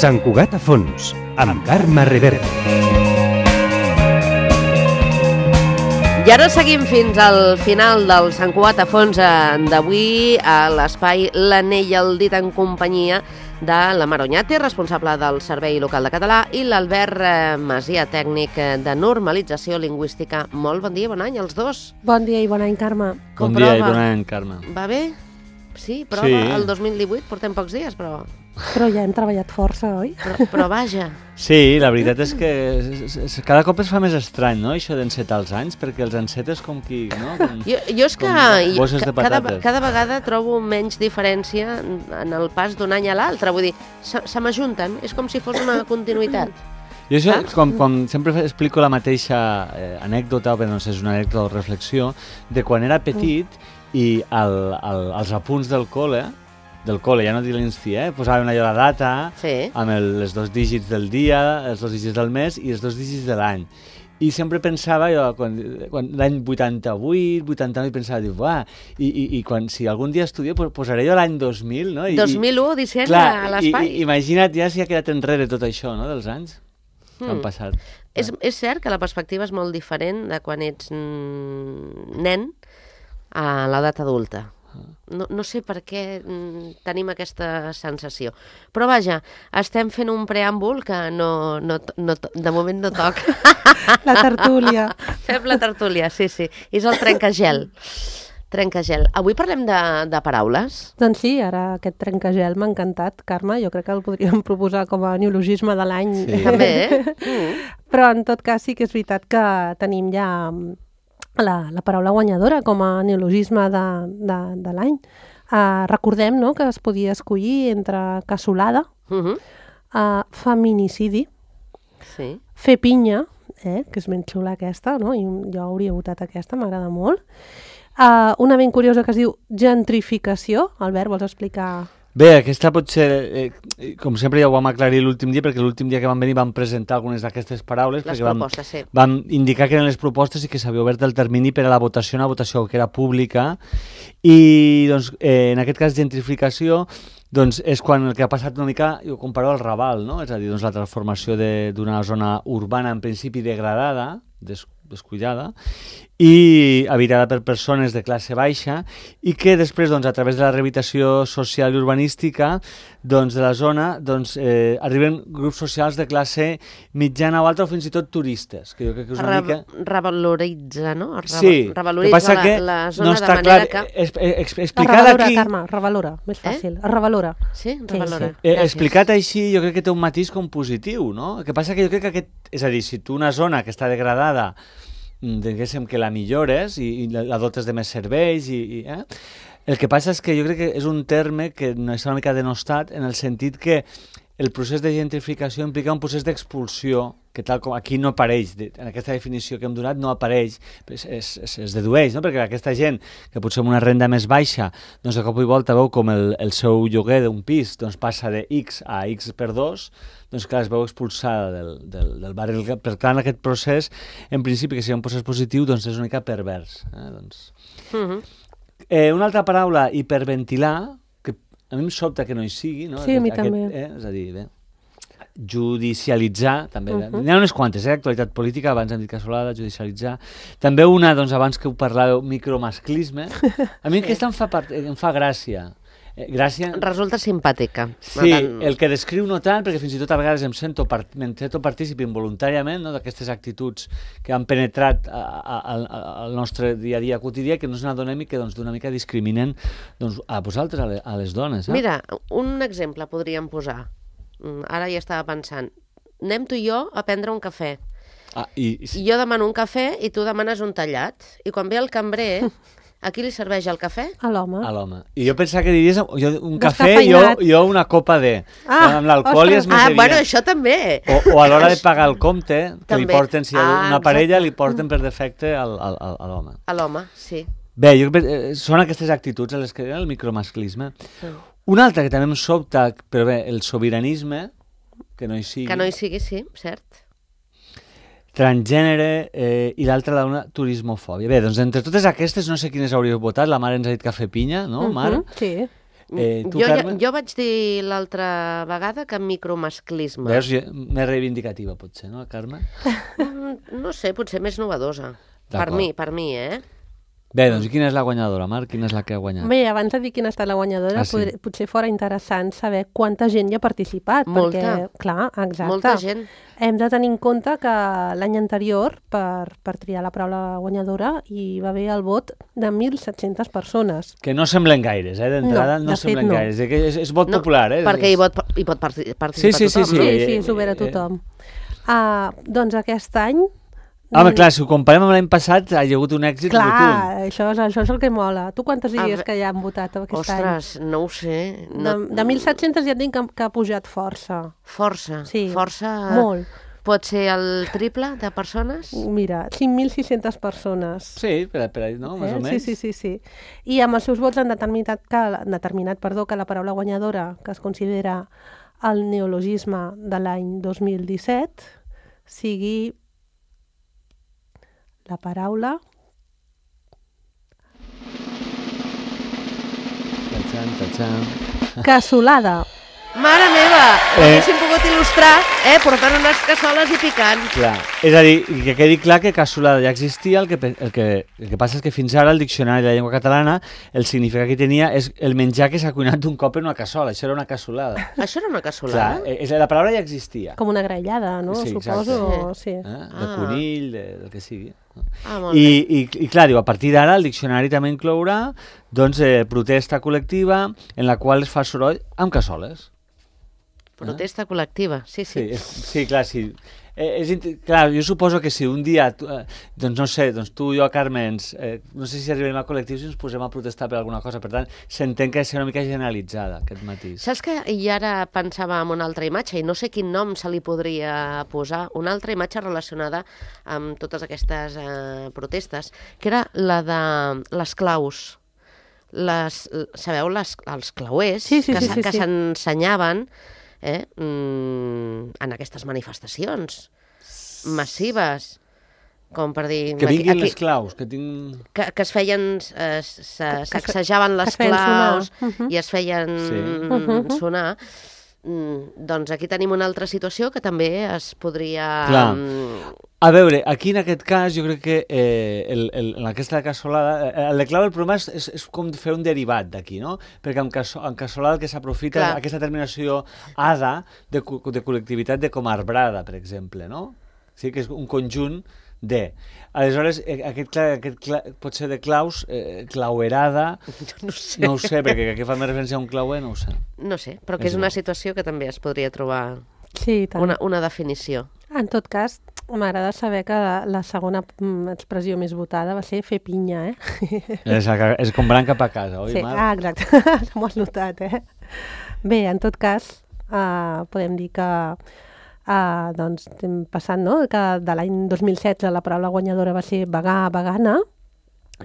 Sant Cugat a fons, amb Carme Rivera. I ara seguim fins al final del Sant Cugat a fons d'avui a l'espai L'Anell al dit en companyia de la Mar Oñate, responsable del Servei Local de Català, i l'Albert Masia, tècnic de normalització lingüística. Molt bon dia, bon any als dos. Bon dia i bon any, Carme. Bon dia i bon any, Carme. Va bé? Sí, prova. Sí. El 2018 portem pocs dies, però ja hem treballat força, oi? però vaja. Sí, la veritat és que cada cop es fa més estrany, no?, això d'encetar els anys, perquè els encetes com qui, no? Jo és que bosses de patates. cada vegada trobo menys diferència en el pas d'un any a l'altre. Vull dir, se m'ajunten, és com si fos una continuïtat. Jo això, com sempre explico la mateixa anècdota, però no sé, és una anècdota o reflexió, de quan era petit i als apunts del col·le, ja no dic l'insti, posaven allò la data, Sí. amb els 2 dígits del dia, els 2 dígits del mes i els 2 dígits de l'any. I sempre pensava, jo, quan l'any 88, 89, pensava, dic, uah, i si algun dia estudio, posaré jo l'any 2000, no? 2001, disseny clar, a l'espai. Imagina't ja si ha quedat enrere tot això, no?, dels anys que han passat. És cert que la perspectiva és molt diferent de quan ets nen a l'edat adulta. No sé per què tenim aquesta sensació. Però vaja, estem fent un preàmbul que de moment no toca. La tertúlia. Fem la tertúlia, sí. És el trencagel. Avui parlem de paraules. Doncs sí, ara aquest trencagel m'ha encantat, Carme. Jo crec que el podríem proposar com a neologisme de l'any. Sí. També, Però en tot cas sí que és veritat que tenim ja la paraula guanyadora com a neologisme de l'any. Recordem, no?, que es podia escollir entre cassolada, feminicidi, Sí. fer pinya, que és ben xula aquesta, no? I jo hauria votat aquesta, m'agrada molt. Una ben curiosa que es diu gentrificació. Albert, vols explicar? Bé, aquesta pot ser, com sempre ja ho vam aclarir l'últim dia, perquè l'últim dia que vam venir vam presentar algunes d'aquestes paraules, Les perquè propostes, sí. vam indicar que eren les propostes i que s'havia obert el termini per a la votació, una votació que era pública, i doncs, en aquest cas gentrificació, doncs és quan el que ha passat una mica, jo comparo al Raval, no? És a dir, doncs, la transformació d'una zona urbana en principi degradada, descuidada, i habitada per persones de classe baixa, i que després, doncs, a través de la rehabilitació social i urbanística doncs, de la zona, doncs, arriben grups socials de classe mitjana o alta, o fins i tot turistes, que jo crec que és una mica... Revaloritza, no? Sí, Revaloritza la zona no de està manera clar, que... explicat aquí... Carme, revalora, més fàcil. Revalora. Sí, revalora. Sí. Explicat així, jo crec que té un matís com positiu, no? El que passa que jo crec que és a dir, si tu una zona que està degradada, diguéssim que la millores i la dotes de més serveis, el que passa és que jo crec que és un terme que no és una mica denostat en el sentit que el procés de gentrificació implica un procés d'expulsió que tal com aquí no apareix, en aquesta definició que hem donat no apareix, es dedueix, no? Perquè aquesta gent que potser amb una renda més baixa, doncs de cop i volta veu com el seu lloguer d'un pis doncs passa de X a X per 2, doncs clar, es veu expulsada del barri. Per tant, aquest procés, en principi, que sigui un procés positiu, doncs és una mica pervers. Una altra paraula, hiperventilar, que a mi em sobta que no hi sigui, no? Sí, a mi també. És a dir, bé, judicialitzar, també. N'hi ha unes quantes, actualitat política, abans hem dit cassolada, judicialitzar. També una, doncs, abans que ho parlàveu, micromasclisme. A mi aquesta em fa gràcia. Resulta simpàtica. Sí, el que descriu no tant, perquè fins i tot a vegades me'n sento partícip involuntàriament, no, d'aquestes actituds que han penetrat al nostre dia a dia quotidià, que no ens n'adonem i que doncs, d'una mica discriminen doncs, a vosaltres, a les dones. Mira, un exemple podríem posar. Ara ja estava pensant. Anem tu i jo a prendre un cafè. I jo demano un cafè i tu demanes un tallat. I quan ve el cambrer... A qui li serveix el cafè? A l'home. A l'home. I jo pensava que diries un cafè i jo una copa de... amb l'alcohol i es meteria. Bueno, això també. O a l'hora de pagar el compte, que li porten, si hi ha una parella, li porten per defecte a l'home. A l'home, sí. Bé, són aquestes actituds a les que el micromasclisme. Una altra que també em sobta, però bé, el sobiranisme, que no hi sigui. Que no hi sigui, sí, cert. Transgènere i l'altra una turismofòbia. Bé, doncs entre totes aquestes no sé quines hauríeu votat, la Mar ens ha dit cafè pinya, no, Mar? Sí. Tu, Carme? Jo vaig dir l'altra vegada que micromasclisme. Veus, més reivindicativa potser, no, Carme? No sé, potser més novedosa. Per mi, Bé, doncs quina és la guanyadora, Marc? Quina és la que ha guanyat? Bé, abans de dir quina ha estat la guanyadora, potser fora interessant saber quanta gent hi ha participat. Molta. Perquè, clar, exacte. Molta gent. Hem de tenir en compte que l'any anterior, per triar la paraula guanyadora, hi va haver el vot de 1.700 persones. Que no semblen gaires, d'entrada no semblen gaires. És vot popular, Perquè hi pot participar tothom. Sí, és obert a tothom. Doncs aquest any... Home, clar, si ho comparem amb l'any passat, ha hi hagut un èxit rotund. Clar, això és el que mola. Tu quantes diries que hi han votat aquest any? Ostres, no ho sé. De 1.700 ja et dic que ha pujat força. Força? Sí, força. Molt. Pot ser el triple de persones? Mira, 5.600 persones. Sí, per ahí, no? Més o menys. Sí. I amb els seus vots han determinat que la paraula guanyadora, que es considera el neologisme de l'any 2017, sigui la paraula... Cassolada. Mare meva! Haguéssim pogut il·lustrar portant unes cassoles i picant. Clar, és a dir, que quedi clar que cassolada ja existia, el que passa és que fins ara el diccionari de la llengua catalana el significat que tenia és el menjar que s'ha cuinat d'un cop en una cassola, això era una cassolada. Això era una cassolada? Clar, la paraula ja existia. Com una graellada, no? Sí, suposo. Sí. De conill, del que sigui. Molt bé. I clar, diu, a partir d'ara el diccionari també inclourà protesta col·lectiva en la qual es fa soroll amb cassoles. Protesta col·lectiva, sí. Sí, clar, sí. Clar, jo suposo que si un dia, doncs no sé, tu i jo, Carme, no sé si arribarem a col·lectius i ens posem a protestar per alguna cosa, per tant, s'entén que ha de ser una mica generalitzada, aquest matís. Saps que i ara pensava en una altra imatge, i no sé quin nom se li podria posar, una altra imatge relacionada amb totes aquestes protestes, que era la de les claus. Sabeu, els clauers que s'ensenyaven en aquestes manifestacions massives, com per dir... Que vinguin les claus, que tinc... Que es feien... Sacsejaven les claus i es feien sonar. Doncs aquí tenim una altra situació que també es podria... Clar. A veure, aquí en aquest cas jo crec que en aquesta cassolada, el de clau el problema és com fer un derivat d'aquí, no? Perquè en cassolada el que s'aprofita és aquesta terminació ada de col·lectivitat de com arbrada, per exemple, no? Sí, que és un conjunt de... Aleshores, aquest pot ser de claus, clauerada... No ho sé, perquè aquí fa més referència a un clauer, no ho sé. No sé, però que és una situació que també es podria trobar una definició. En tot cas, m'agrada saber que la segona expressió més votada va ser fer pinya, És com van cap a casa, oi, Marc? Exacte, m'ho has notat, Bé, en tot cas, podem dir que doncs estem passant, no?, que de l'any 2016 la paraula guanyadora va ser vegà, vegana,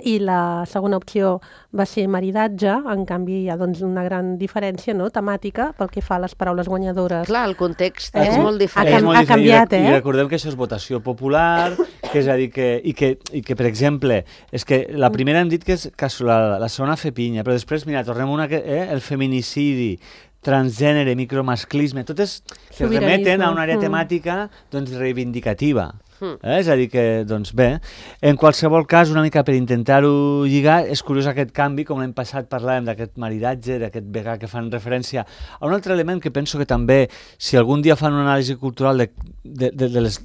i la segona opció va ser maridatge. En canvi hi ha doncs una gran diferència, no?, temàtica pel que fa a les paraules guanyadores. Clar, el context és molt diferent. Ha canviat, I recordem que això és votació popular, que és a dir que per exemple, és que la primera hem dit que és cassolada, la segona fer pinya, però després, mira, tornem una que el feminicidi, transgènere, micromasclisme, totes que remeten a una àrea temàtica doncs reivindicativa. És a dir que, doncs bé, en qualsevol cas, una mica per intentar-ho lligar, és curiós aquest canvi, com l'any passat parlàvem d'aquest maridatge, d'aquest vegà que fan referència a un altre element que penso que també, si algun dia fan una anàlisi cultural dels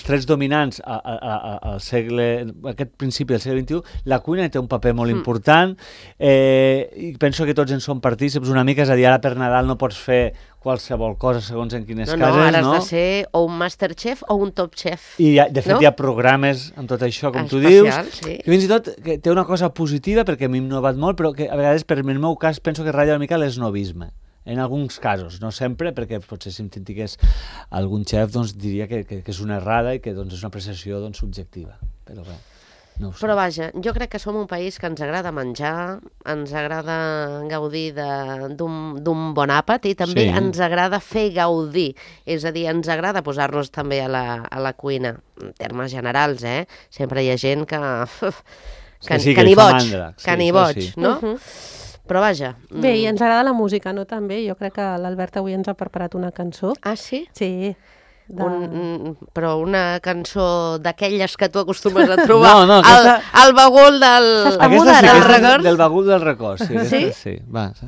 trets dominants al segle, aquest principi del segle XXI, la cuina té un paper molt important, i penso que tots en som partícips una mica, és a dir, ara per Nadal no pots fer qualsevol cosa segons en quines cases, no? Ara has de ser o un Masterchef o un Top Chef. I de fet hi ha programes amb tot això, com tu dius, que fins i tot que té una cosa positiva, perquè a mi m'ha innovat molt, però que a vegades, per el meu cas, penso que ratlla una mica l'esnovisme. En alguns casos, no sempre, perquè potser si em critiqués algun xef doncs diria que és una errada i que doncs, és una apreciació doncs, subjectiva. Però bé. No però vaja, jo crec que som un país que ens agrada menjar, ens agrada gaudir d'un bon àpat i també ens agrada fer gaudir, és a dir, ens agrada posar-nos també a la cuina, en termes generals, Sempre hi ha gent que ni boig, no? Però vaja... Bé, i ens agrada la música, no? També. Jo crec que l'Albert avui ens ha preparat una cançó. Ah, sí? Sí. Però una cançó d'aquelles que tu acostumes a trobar aquesta... al bagul del... Aquesta sí, del aquesta és del bagul del record. Sí? Sí? Sí, va. Sí.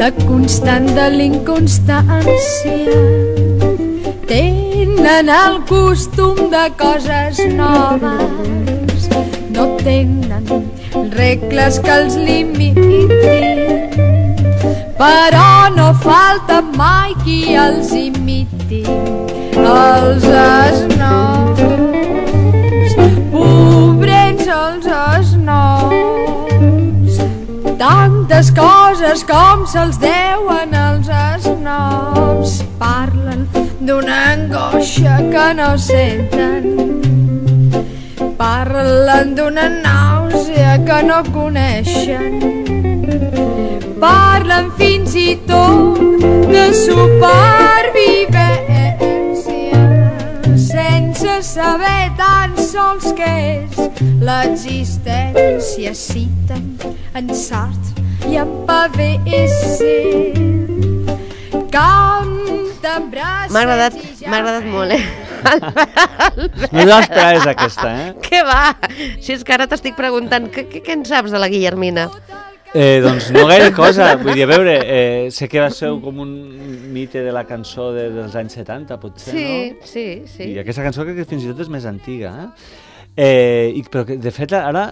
La constant de l'inconstància, tenen el costum de coses noves, no tenen regles que els limitin, però no falta mai qui els imiti, els esnots, pobrets els esnots. Tantes coses com se'ls deuen els esnobs, parlen d'una angoixa que no senten, parlen d'una nàusea que no coneixen, parlen fins i tot de supervivència, sense saber tan sols què és l'existència. Citen en Sartre i en Pavese, canten braços. M'ha agradat molt, No us esperaves aquesta, Què va? Si és que ara t'estic preguntant, què en saps de la Guillermina? Doncs no gaire cosa, vull dir, a veure, sé que va ser com un mite de la cançó dels anys 70, potser, no? Sí. I aquesta cançó crec que fins i tot és més antiga, però de fet ara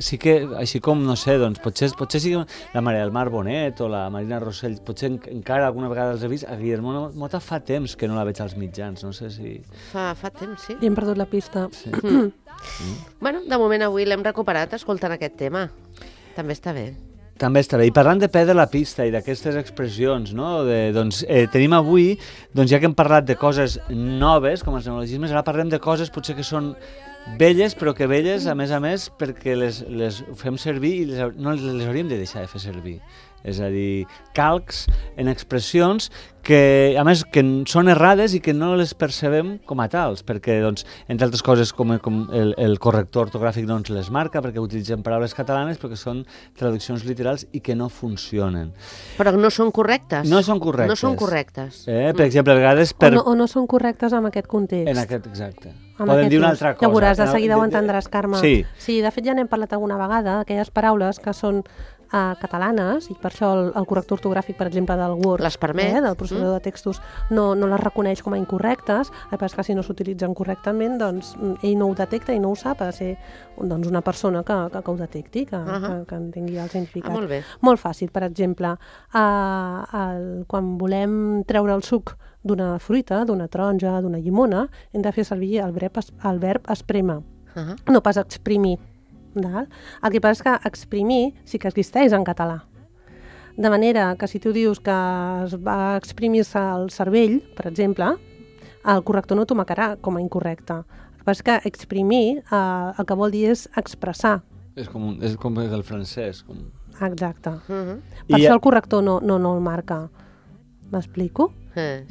sí que, així com, no sé, doncs potser sí que la Maria del Mar Bonet o la Marina Rossell, potser encara alguna vegada els he vist. A Guillermo Mota fa temps que no la veig als mitjans, no sé si... Fa temps, sí. I hem perdut la pista. Sí. Bueno, de moment avui l'hem recuperat escoltant aquest tema. També està bé. També està bé. I parlant de perdre la pista i d'aquestes expressions, no? Tenim avui, ja que hem parlat de coses noves, com els neologismes, ara parlem de coses potser que són velles, però que velles, a més, perquè les fem servir i no les hauríem de deixar de fer servir. És a dir, calcs en expressions que, a més, que són errades i que no les percebem com a tals, perquè, doncs, entre altres coses, com el corrector ortogràfic doncs, les marca, perquè utilitzen paraules catalanes, però que són traduccions literals i que no funcionen. Però no són correctes? No són correctes. No són correctes. Per exemple, a vegades... O no són correctes en aquest context. En aquest, exacte. Poden dir una altra cosa. Ja veuràs, de seguida ho entendràs, Carme. Sí, de fet ja n'hem parlat alguna vegada, aquelles paraules que són catalanes, i per això el corrector ortogràfic, per exemple, del Word, les permet, del processador de textos, no les reconeix com a incorrectes, que si no s'utilitzen correctament, doncs ell no ho detecta i no ho sap, ha de ser doncs, una persona que ho detecti, que entengui el significat. Molt bé. Molt fàcil, per exemple, quan volem treure el suc d'una fruita, d'una taronja, d'una llimona, hem de fer servir el verb esprémer, no pas exprimir. El que passa és que exprimir sí que existeix en català. De manera que si tu dius que es va exprimir-se el cervell, per exemple, el corrector no t'ho marcarà com a incorrecte. El que passa és que exprimir el que vol dir és expressar. És com el francès. Exacte. Per això el corrector no el marca. M'explico?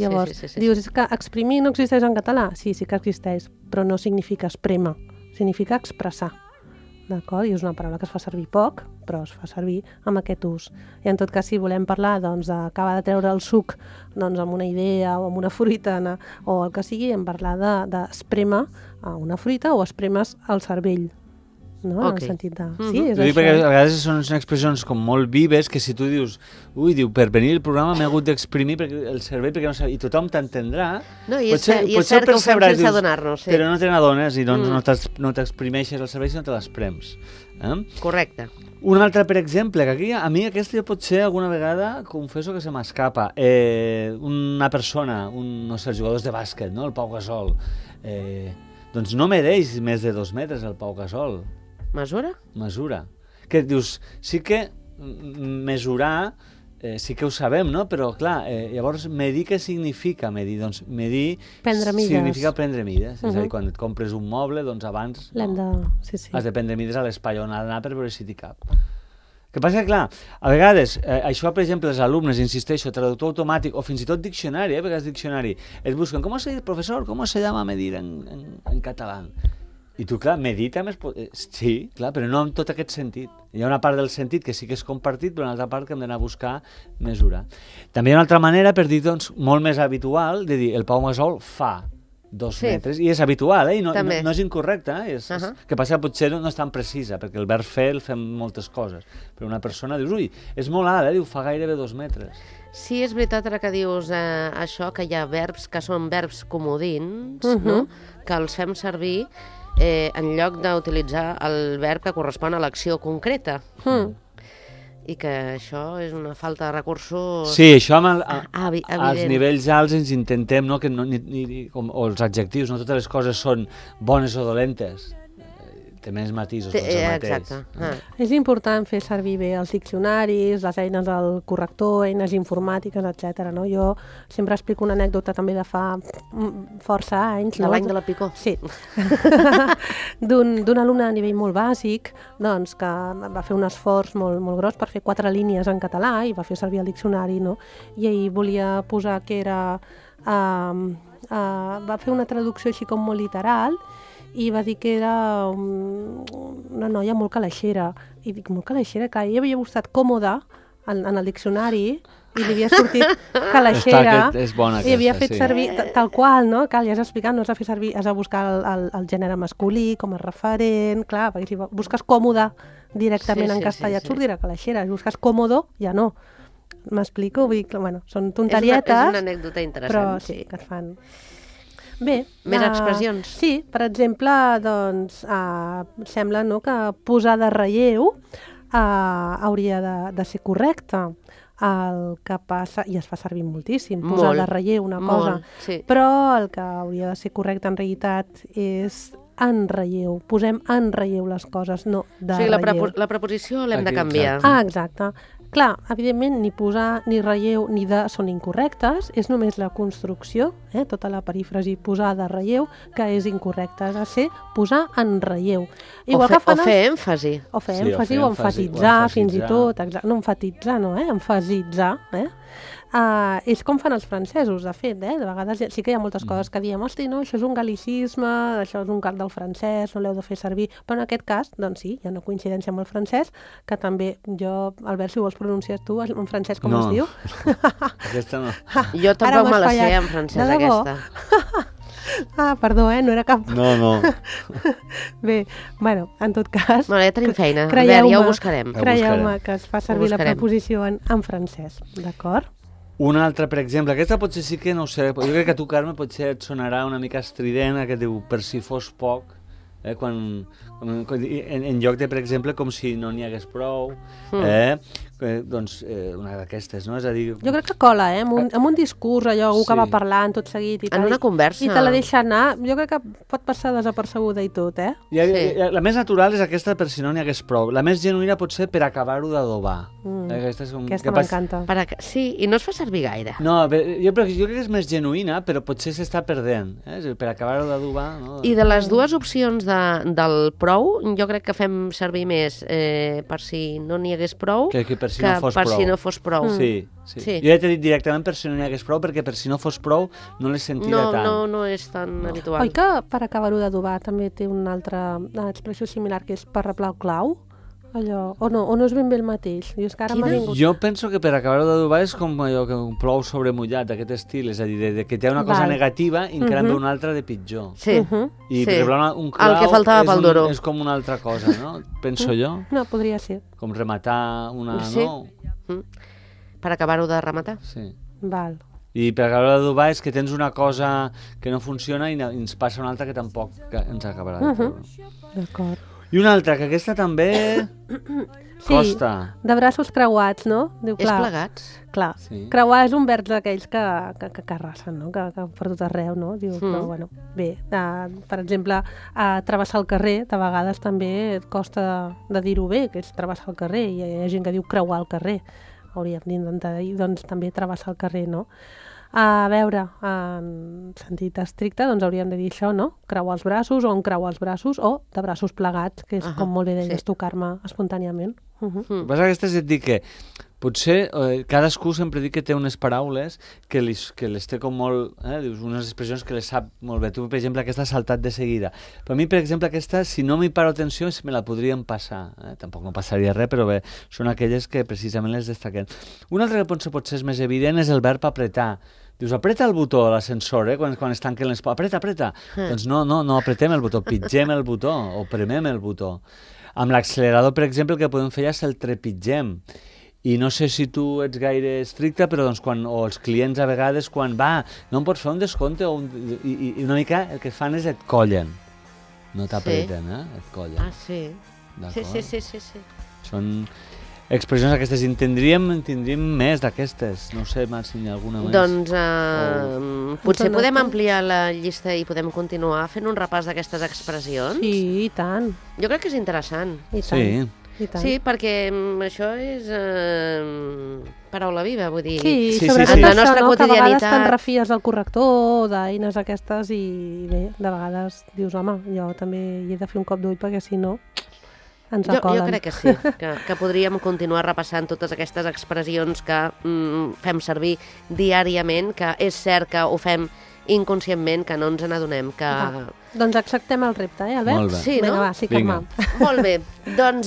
Llavors, dius, és que exprimir no existeix en català? Sí que existeix, però no significa esprémer, significa expressar. D'acord? I és una paraula que es fa servir poc, però es fa servir amb aquest ús. I en tot cas, si volem parlar d'acabar de treure el suc amb una idea o amb una fruita o el que sigui, hem parlar d'esprémer una fruita o esprémer el cervell. No? En el sentit de... Sí, és això. Perquè a vegades són expressions com molt vives que si tu dius, per venir al programa m'he hagut d'exprimir el cervell perquè no sé, i tothom t'entendrà. No, i és cert que ho fem sense adonar-nos. Però no te n'adones i doncs no t'exprimeixes el cervell sinó te l'esprems. Correcte. Un altre, per exemple, que aquí a mi aquesta potser alguna vegada confesso que se m'escapa. Una persona, no sé, els jugadors de bàsquet, no? El Pau Gasol. Doncs no mereix més de 2 metres el Pau Gasol. Mesura? Mesura. Que dius, sí que mesurar sí que ho sabem, no? Però, clar, llavors, medir què significa medir? Doncs medir Prendre mides. significa prendre mides. És a dir, quan et compres un moble, doncs abans L'hem de... Sí, sí. has de prendre mides a l'espai on ha d'anar per veure si t'hi cap. El que passa que, clar, a vegades, això, per exemple, els alumnes, insisteixo, traductor automàtic o fins i tot diccionari, a vegades diccionari, es busquen, professor, ¿cómo se llama medir en català? I tu, clar, medir també sí, clar, però no en tot aquest sentit. Hi ha una part del sentit que sí que és compartit, però una altra part que hem d'anar a buscar mesurar. També hi ha una altra manera, per dir, doncs, molt més habitual, de dir, el Pau Gasol fa 2 metres, i és habitual, i no és incorrecte, que passa que potser no és tan precisa, perquè el verb fer el fem moltes coses, però una persona dius, ui, és molt alt, diu, fa gairebé 2 metres. Sí, és veritat ara que dius això, que hi ha verbs que són verbs comodins, no? Que els fem servir en lloc d'utilitzar el verb que correspon a l'acció concreta. I que això és una falta de recursos... Sí, això amb als evident. nivells alts ens intentem, no, que o els adjectius, no totes les coses són bones o dolentes. Té més matisos, doncs el mateix. Exacte. És important fer servir bé els diccionaris, les eines del corrector, eines informàtiques, etc. No? Jo sempre explico una anècdota també de fa força anys. De l'any de la Picó. Sí. D'un alumne a nivell molt bàsic, doncs, que va fer un esforç molt gros per fer 4 línies en català i va fer servir el diccionari, no? I ell volia posar que era... va fer una traducció així com molt literal i va dir que era una noia molt calaixera. I dic, molt calaixera? Que ell havia buscat còmode en el diccionari i li havia sortit calaixera. És bona i havia aquesta, fet servir tal qual, no? Que li has explicat, no has de fer servir, has de buscar el gènere masculí com a referent, clar, perquè si busques còmode directament en castellà et sortirà calaixera, si busques còmodo, ja no. M'explico? Vull dir que, bueno, són tonterietes, és una anècdota interessant, però sí, que es fan. Bé, més expressions. Sí, per exemple, doncs, sembla, no, que posar de relleu hauria de ser correcte. El que passa, i es fa servir moltíssim, posar de relleu una cosa, però el que hauria de ser correcte en realitat és en relleu. Posem en relleu les coses, no de relleu. La preposició l'hem de canviar. Exacte. Clar, evidentment, ni posar, ni relleu, ni de són incorrectes, és només la construcció, tota la perífrasi posar de relleu, que és incorrecta, ha de ser posar en relleu. O fer èmfasi. O fer èmfasi, o emfasitzar, fins i tot. No emfatitzar, no, emfasitzar, és com fan els francesos, de fet, de vegades sí que hi ha moltes coses que diem, hosti, no, això és un gal·licisme, això és un cal del francès, no l'heu de fer servir, però en aquest cas, doncs sí, hi ha una coincidència amb el francès, que també jo, Albert, si vols pronunciar tu en francès com es diu? Aquesta no. Jo tampoc me la sé en francès, aquesta. Perdó, no era cap... No. Bé, bueno, en tot cas... Bueno, ja tenim feina, ja ho buscarem. Creieu-me que es fa servir la preposició en francès, d'acord? Una altra, per exemple, aquesta potser sí que no ho sé, jo crec que a tu, Carme, potser et sonarà una mica estrident, que diu, per si fos poc, quan en lloc de, per exemple, com si no n'hi hagués prou, doncs una d'aquestes, no? És a dir... Jo crec que cola, amb un discurs, allò, algú que va parlant tot seguit i tal. En una conversa. I te la deixa anar, jo crec que pot passar desapercebuda i tot, La més natural és aquesta per si no n'hi hagués prou. La més genuïna pot ser per acabar-ho d'adobar. Aquesta m'encanta. Sí, i no es fa servir gaire. No, jo crec que és més genuïna, però potser s'està perdent. Per acabar-ho d'adobar... I de les dues opcions del prou, jo crec que fem servir més per si no n'hi hagués prou que per si no fos prou. Sí. Jo ja t'he dit directament per si no n'hi hagués prou, perquè per si no fos prou no l'he sentida tant. No és tan habitual. Oi que per acabar-ho d'adobar també té una altra expressió similar, que és per replar el clau? Allò, o no és ben bé el mateix? Jo penso que per acabar-ho d'adobar és com allò que un plou sobre mullat, d'aquest estil, és a dir, que té una cosa negativa i encara en ve una altra de pitjor. Sí. I per exemple, un clau el que faltava pel duro és com una altra cosa, no? Penso jo. No, podria ser. Com rematar una... Sí. Per acabar-ho de rematar. Sí. Val. I per acabar d'adobar és que tens una cosa que no funciona i ens passa una altra que tampoc ens acabarà de treure. D'acord. I una altra, que aquesta també costa. Sí, de braços creuats, no? Diu, és plegats. Clar, creuar és un verb d'aquells que arrasen, no? Que per tot arreu, no? Diu, però, bueno, bé, per exemple, travessar el carrer, de vegades també et costa de dir-ho bé, que és travessar el carrer, i hi ha gent que diu creuar el carrer. hauríem d'intentar doncs, també travessar el carrer, no? A veure, en sentit estricte, doncs hauríem de dir això, no? Creuar els braços, o en creuar els braços, o de braços plegats, que és, com molt bé deies tu, Carme, espontàniament. El que passa que és dir que potser cadascú sempre diu que té unes paraules que les té com molt... dius, unes expressions que les sap molt bé. Tu, per exemple, aquesta has saltat de seguida. Per mi, per exemple, aquesta, si no m'hi paro atenció, me la podrien passar. Tampoc no passaria res, però bé, són aquelles que precisament les destaquen. Un altre que potser és més evident és el verb apretar. Dius, apreta el botó a l'ascensor, quan es tanquen les... Apreta. Doncs no apretem el botó, pitgem el botó o premem el botó. Amb l'accelerador, per exemple, el que podem fer és el trepitgem. I no sé si tu ets gaire estricte, però doncs o els clients a vegades quan no em pots fer un descompte i una mica el que fan és et collen. No t'apreten, et collen. Ah, sí. Sí. Són expressions aquestes. Tindríem més d'aquestes. No sé, Marc, si n'hi ha alguna més. Doncs potser podem ampliar la llista i podem continuar fent un repàs d'aquestes expressions? Sí, i tant. Jo crec que és interessant. I tant. Sí. Sí, perquè això és paraula viva, vull dir. Sí, sobretot en la això, nostra no? Que a vegades te'n quotidianitat. refies del corrector, d'eines aquestes, i bé, de vegades dius, home, jo també hi he de fer un cop d'ull perquè si no ens Jo acolen. crec que sí, que podríem continuar repassant totes aquestes expressions que fem servir diàriament, que és cert que ho fem inconscientment, que no ens n'adonem, que... Doncs acceptem el repte, Albert? Molt bé. Sí, no? Vinga, va, sí, Carme. Molt bé, doncs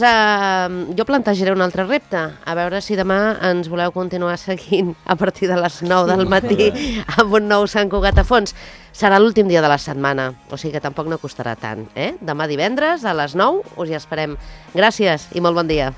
jo plantejaré un altre repte, a veure si demà ens voleu continuar seguint a partir de les 9 del matí amb un nou Sant Cugat a fons. Serà l'últim dia de la setmana, o sigui que tampoc no costarà tant, eh? Demà divendres a les 9 us hi esperem. Gràcies i molt bon dia.